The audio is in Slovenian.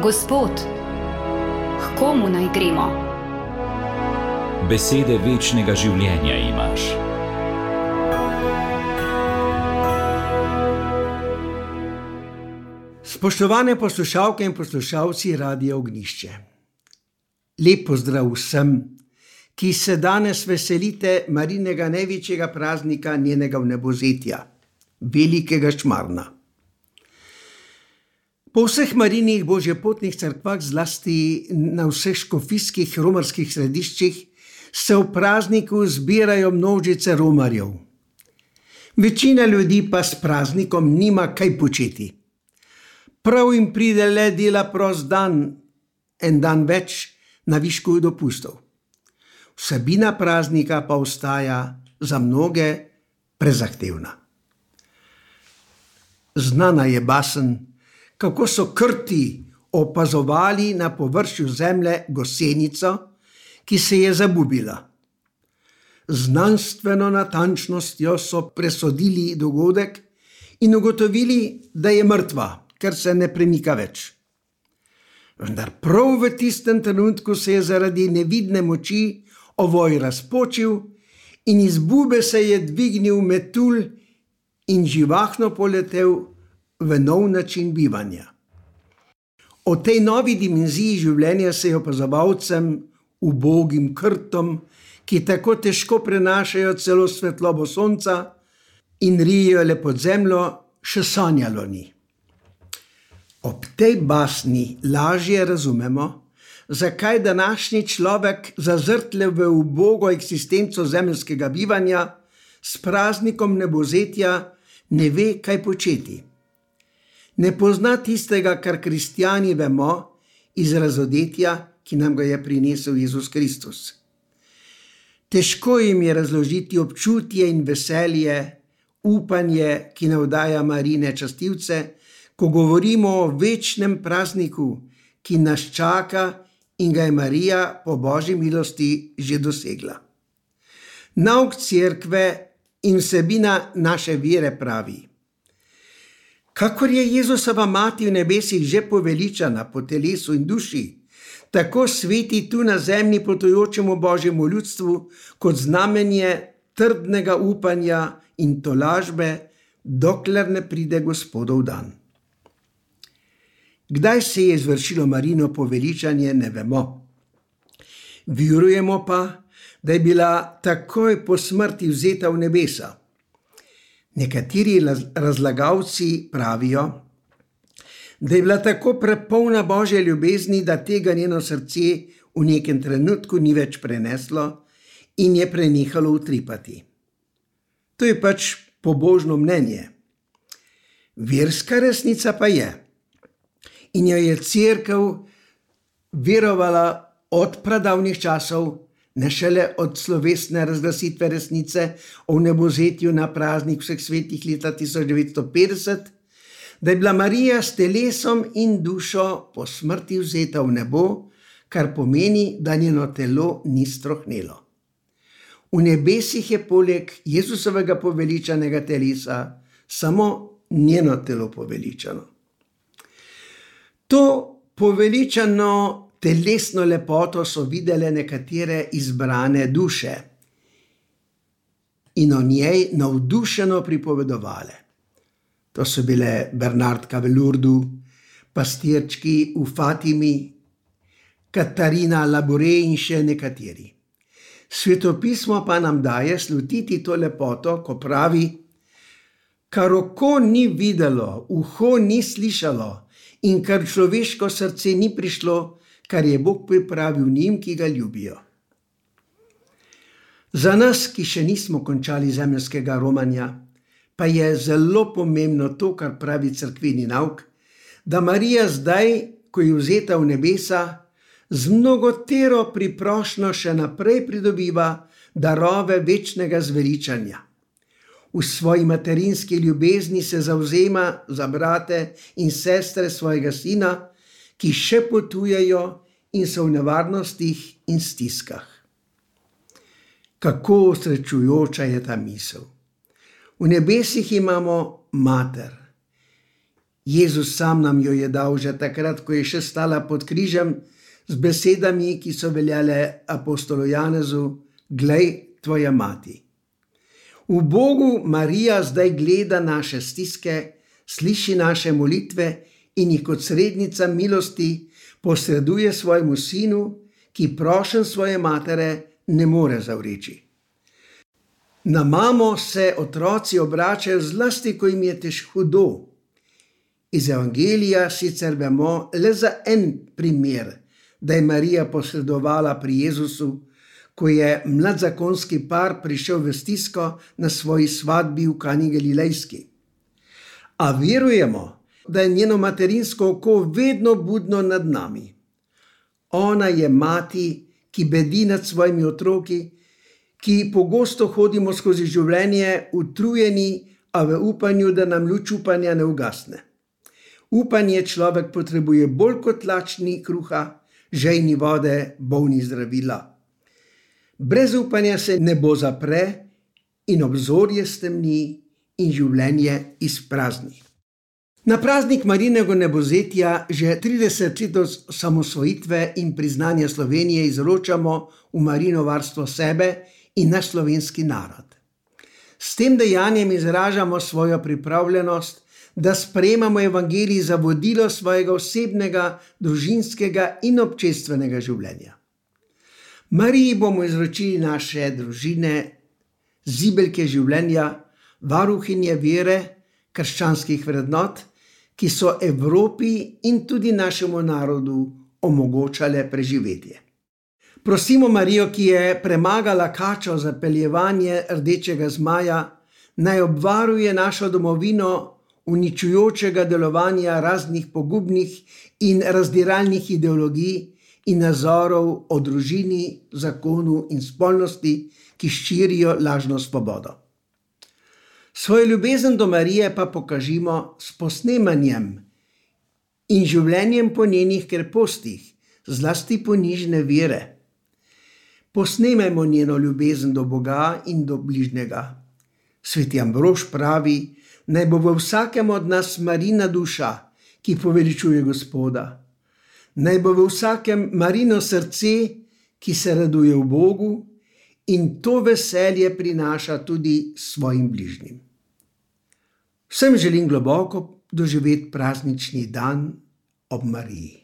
Gospod, k komu naj gremo? Besede večnega življenja imaš. Spoštovane poslušalke in poslušalci Radia Ognjišče. Lep pozdrav vsem, ki se danes veselite Marinega največjega praznika njenega vnebozetja, velikega Šmarna. Po vseh Marinih božjepotnih cerkvah, zlasti na vseh škofijskih romarskih središčih, se v prazniku zbirajo množice romarjev. Večina ljudi pa s praznikom nima kaj početi. Prav jim pride le dela prost dan, en dan več na višku dopustov. Vsebina praznika pa ostaja za mnoge prezahtevna. Znana je basen, kako so Krti opazovali na površju zemlje gosenico, ki se je zabubila. Znanstveno natančnostjo so presodili dogodek in ugotovili, da je mrtva, ker se ne premika več. Vendar prav v tistem trenutku se je zaradi nevidne moči ovoj razpočil in iz bube se je dvignil metulj in živahno poletel v nov način bivanja. O tej novi dimenziji življenja se je opazovalcem, ubogim Krtom, ki tako težko prenašajo celo svetlobo sonca in rijejo le pod zemljo, še sanjalo ni. Ob tej basni lažje razumemo, zakaj današnji človek, zazrt v ubogo eksistenco zemeljskega bivanja, s praznikom vnebozetja ne ve, kaj početi. Ne pozna tistega, kar kristjani vemo iz razodetja, ki nam ga je prinesel Jezus Kristus. Težko jim je razložiti občutje in veselje, upanje, ki navdaja Marine častilce, ko govorimo o večnem prazniku, ki nas čaka in ga je Marija po Božji milosti že dosegla. Nauk cerkve in vsebina naše vere pravi: kakor je Jezusova mati v nebesih že poveličana po telesu in duši, tako sveti tu na zemlji potujočemu Božjemu ljudstvu kot znamenje trdnega upanja in tolažbe, dokler ne pride Gospodov dan. Kdaj se je izvršilo Marino poveličanje, ne vemo. Verujemo pa, da je bila takoj po smrti vzeta v nebesa. Nekateri razlagalci pravijo, da je bila tako prepolna Božje ljubezni, da tega njeno srce v nekem trenutku ni več preneslo in je prenehalo utripati. To je pač pobožno mnenje. Verska resnica pa je, in jo je cerkev verovala od pradavnih časov, ne šele od slovesne razglasitve resnice o vnebozetju na praznik vseh svetih leta 1950, da je bila Marija s telesom in dušo po smrti vzeta v nebo, kar pomeni, da njeno telo ni strohnelo. V nebesih je poleg Jezusovega poveličanega telesa samo njeno telo poveličano. To poveličano telesno lepoto so videle nekatere izbrane duše in o njej navdušeno pripovedovale. To so bile Bernardka v Lurdu, pastirčki v Fatimi, Katarina Labure in še nekateri. Svetopismo pa nam daje slutiti to lepoto, ko pravi: kar oko ni videlo, uho ni slišalo in kar človeško srce ni prišlo, kar je Bog pripravil njim, ki ga ljubijo. Za nas, ki še nismo končali zemeljskega romanja, pa je zelo pomembno to, kar pravi cerkveni nauk, da Marija zdaj, ko je vzeta v nebesa, z mnogotero priprošnjo še naprej pridobiva darove večnega zveličanja. V svoji materinski ljubezni se zavzema za brate in sestre svojega sina, ki še potujejo in so v nevarnostih in stiskah. Kako osrečujoča je ta misel. V nebesih imamo mater Jezus sam nam jo je dal že takrat, ko je še stala pod križem, z besedami, ki so veljale apostolu Janezu: "Glej, tvoja mati." V Bogu Marija zdaj gleda naše stiske, sliši naše molitve in jih kot srednica milosti posreduje svojemu sinu, ki prošenj svoje matere ne more zavreči. Na mamo se otroci obračajo zlasti, ko jim je hudo. Iz Evangelija sicer vemo le za en primer, da je Marija posredovala pri Jezusu, ko je mladzakonski par prišel v stisko na svoji svadbi v Kani Galilejski. A verujemo, da je njeno materinsko oko vedno budno nad nami. Ona je mati, ki bedi nad svojimi otroki, ki pogosto hodimo skozi življenje utrujeni, a v upanju, da nam luč upanja ne ugasne. Upanje človek potrebuje bolj kot lačni kruha, žejni vode, bolni zdravila. Brez upanja se nebo zapre in obzorje stemni in življenje izprazni. Na praznik Marijinega nebozetja že 30 let od osamosvojitve in priznanja Slovenije izročamo v Marijino varstvo sebe in naš slovenski narod. S tem dejanjem izražamo svojo pripravljenost, da sprejemamo evangelij za vodilo svojega osebnega, družinskega in občestvenega življenja. Mariji bomo izročili naše družine, zibelke življenja, varuhinje vere, krščanskih vrednot, ki so Evropi in tudi našemu narodu omogočale preživetje. Prosimo Marijo, ki je premagala kačo za peljevanje rdečega zmaja, naj obvaruje našo domovino uničujočega delovanja raznih pogubnih in razdiralnih ideologij in nazorov o družini, zakonu in spolnosti, ki širijo lažno svobodo. Svojo ljubezen do Marije pa pokažimo s posnemanjem in življenjem po njenih krepostih, zlasti ponižne vere. Posnemajmo njeno ljubezen do Boga in do bližnjega. Sveti Ambrož pravi, naj bo v vsakem od nas Marijina duša, ki poveličuje Gospoda. Naj bo v vsakem Marijino srce, ki se raduje v Bogu in to veselje prinaša tudi svojim bližnjim. Vsem želim globoko doživeti praznični dan ob Mariji.